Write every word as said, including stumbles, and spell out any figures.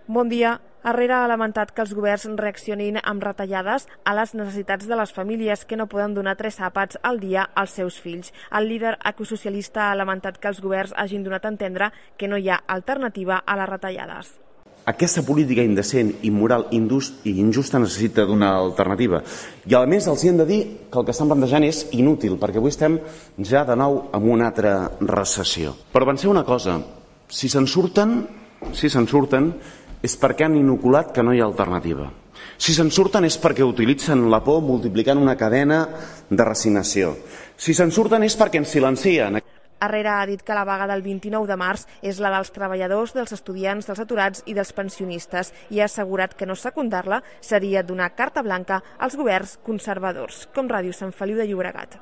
Bon dia. Herrera ha lamentat que els governs reaccionin amb retallades a les necessitats de les famílies que no poden donar tres àpats al dia als seus fills. El líder ecosocialista ha lamentat que els governs hagin donat a entendre que no hi ha alternativa a les retallades. Aquesta política indecent, immoral i injusta necessita d'una alternativa. I a més els hi hem de dir que el que estan plantejant és inútil, perquè avui estem ja de nou en una altra recessió. Però penseu una cosa, si se'n surten, si se'n surten, és perquè han inoculat que no hi ha alternativa. Si se'n surten és perquè utilitzen la por multiplicant una cadena de resignació. Si se'n surten és perquè ens silencien. Herrera ha dit que la vaga del vint-i-nou de març és la dels treballadors, dels estudiants, dels aturats i dels pensionistes i ha assegurat que no secundar-la seria donar carta blanca als governs conservadors, com Ràdio Sant Feliu de Llobregat.